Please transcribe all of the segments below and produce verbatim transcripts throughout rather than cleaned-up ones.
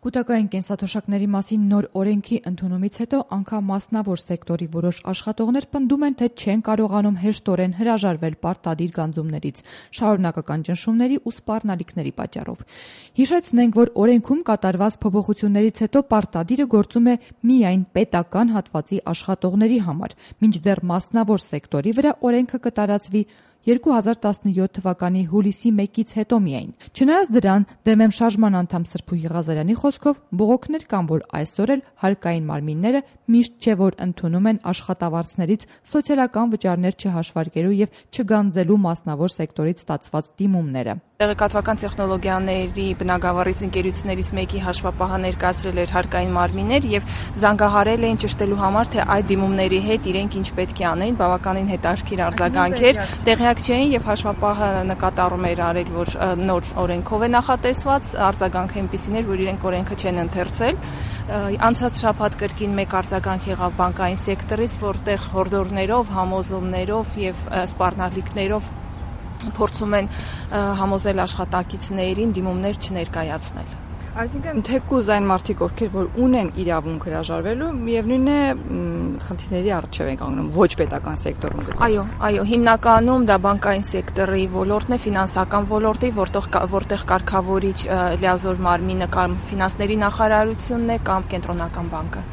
Կուտակային կենսաթոշակների մասին նոր օրենքի ընդունումից հետո անգամ մասնավոր սեկտորի որոշ աշխատողներ պնդում են, թե չեն կարողանում հեշտորեն հրաժարվել պարտադիր գանձումներից, շարունակական ճնշումների ու սպառնալիքների պատճառով։ Հիշեցնենք, որ օրենքում կատարված փոփոխություններից հետո պարտադիրը գործում է միայն պետական հատվածի աշխատողների համար, մինչդեռ մասնավոր սեկտորի վրա օրենքը կտարածվի երկու հազար տասնյոթ թվականի հուլիսի մեկից հետո միայն։ Չնայած դրան, Դեմեմ շարժման անդամ Սրփուհի Ղազարյանի խոսքով, բողոքներ կան, որ այսօր էլ հարկային մարմինները միշտ չէ որ ընդունում են աշխատավարձներից սոցիալական վճարներ չհաշվարկելու եւ չգանձելու մասնավոր սեկտորից ստացված դիմումները։ Տեղեկատվական տեխնոլոգիաների բնագավառից ընկերություններից մեկի հաշվապահը ներկայացրել էր հարկային մարմիններ եւ զանգահարել էին ճշտելու համար, թե այդ դիմումների հետ իրենք ինչ պետք է անեն, բավականին հետաքրքիր արձագանք էր։ Տեղյակ չէին եւ հաշվապահը նկատառում էր արել, որ նոր օրենքով է նախատեսված, արձագանքը այնպիսին էր, որ իրենք օրենքը չեն ընթերցել։ Անցած շաբաթ կրկին մեկ արձագանք եղավ բանկային սեկտորից, որտեղ հորդորներով, համոզումներով եւ սպառնալիքներով փորձում են համոզել աշխատակիցներին դիմումներ չներկայացնել։ Այսինքն թեկուզ այն մարդիկ, ովքեր որ ունեն իրավունք հրաժարվելու, միևնույն է խնդիրների առջև են կանգնում ոչ պետական սեկտորում։ Այո, այո, հիմնականում դա բանկային սեկտորի ոլորտն է, ֆինանսական ոլորտի, որտեղ որտեղ կարգավորիչ լիազոր մարմինը կամ ֆինանսների նախարարությունն է կամ կենտրոնական բանկը։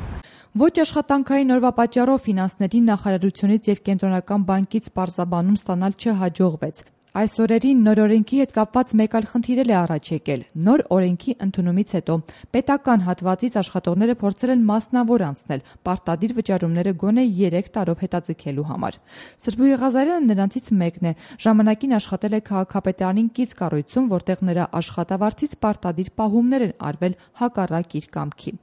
Ոչ աշխատանքային օրվա պատճառով ֆինանսների նախարարությունից եւ կենտրոնական բանկից պարզաբանում ստանալ չհաջողվեց։ Այս օրերին նոր օրենքի հետ կապված մեկ այլ խնդիր է առաջ եկել։ Նոր օրենքի ընդունումից հետո պետական հատվածից աշխատողները փորձել են մասնավոր անցնել պարտադիր վճարումները գոնե երեք տարով հետաձգելու համար։ Սրփուհի Ղազարյանը նրանցից մեկն է։ Ժամանակին աշխատել է քաղաքապետարանին կից կառույցում, որտեղ նրա աշխատավարձից պարտադիր պահումներ են արվել հակառակ իր կամքի։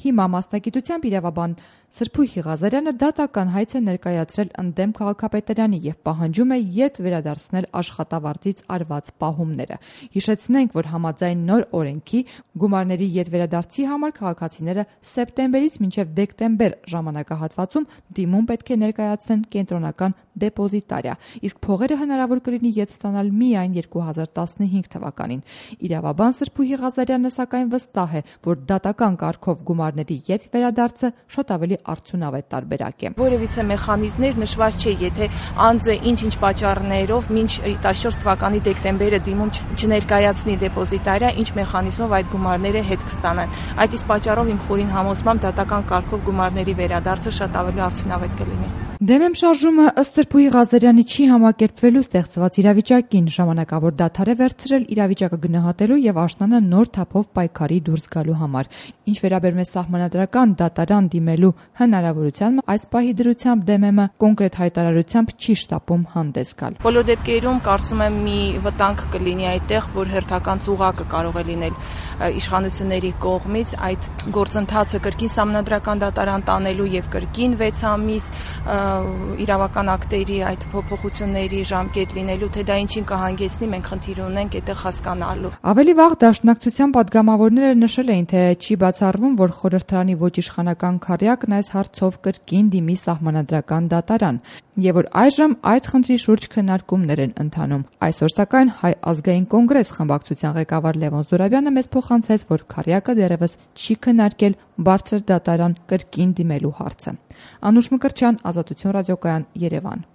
Հիմա մասնագիտությամբ իրավաբան Սրփուհի Ղազարյանը դատական հայց է ներկայացրել ընդդեմ քաղաքապետարանի եւ պահանջում է ետ վերադարձնել աշխատավարձից արված պահումները։ Հիշեցնենք, որ համաձայն նոր օրենքի գումարների ետ վերադարձի համար քաղաքացիները սեպտեմբերից մինչև դեկտեմբեր ժամանակահատվածում դիմում պետք է ներկայացնեն կենտրոնական դեպոզիտարիա, իսկ փողերը հնարավոր կլինի ետ ստանալ միայն երկու հազար տասնհինգ թվականին։ Իրավաբան Սրփուհի Ղազարյանը սակայն վստահ է, որ դատական կարգով գումարների ետ վերադարձը շատ ավելի արդյունավետ տարբերակ է։ Որևիցե մեխանիզմներ նշված չէ, եթե անձը ինչ-ինչ պատճառներով մինչ տասնչորս թվականի դեկտեմբերը դիմում չներկայացնի դեպոզիտարիա, ինչ մեխանիզմով այդ գումարները հետ կստանան։ Այդ իսկ պատճառով իմ խորին համոզմամբ դատական կարգով գումարների վերադարձը շատ ավելի արդյունավետ կլինի։ Դեմեմ շարժումը ըստ Սրփուհի Ղազարյանի չի համակերպվելու ստեղծված իրավիճակին, ժամանակավոր դադար է վերցրել իրավիճակը գնահատելու եւ աշնանը նոր թափով պայքարի դուրս գալու համար։ Ինչ վերաբերում է սահմանադրական դատարան դիմելու հնարավորությանը, այս պահի դրությամբ Դեմեմը կոնկրետ հայտարարությամբ չի շտապում հանդես գալ։ Բոլոր դեպքերում կարծում եմ մի վտանգ կլինի այդտեղ, որ հերթական ծուղակը կարող է լինել իշխանությունների կողմից այդ գործընթացը կրկին սահմանադրական դատարան տանելու եւ կրկին վեց ամիս իրավական ակտերի այդ փոփոխությունների ժամկետ լինելու, թե դա ինչին կհանգեցնի, մենք խնդիր ունենք այդտեղ հասկանալու։ Ավելի վաղ դաշնակցության падգամավորները նշել էին, թե չի բացառվում, որ խորհրդարանի ոչ իշխանական քառյակն այս հարցով կրկին դիմի սահմանադրական դատարան, եւ որ այժմ այդ խնդրի շուրջ քննարկումներ են ընթանում։ Այսօր սակայն Հայ ազգային կոնգրես խմբակցության ղեկավար Լևոն Զուրաբյանը մեզ փոխանցեց, որ քառյակը դեռևս չի քննարկել բարձր դատարան կրկին դիմելու հարցը։ Անուշ Մկրտչյան, Ազատություն ռադիոկայան, Երևան։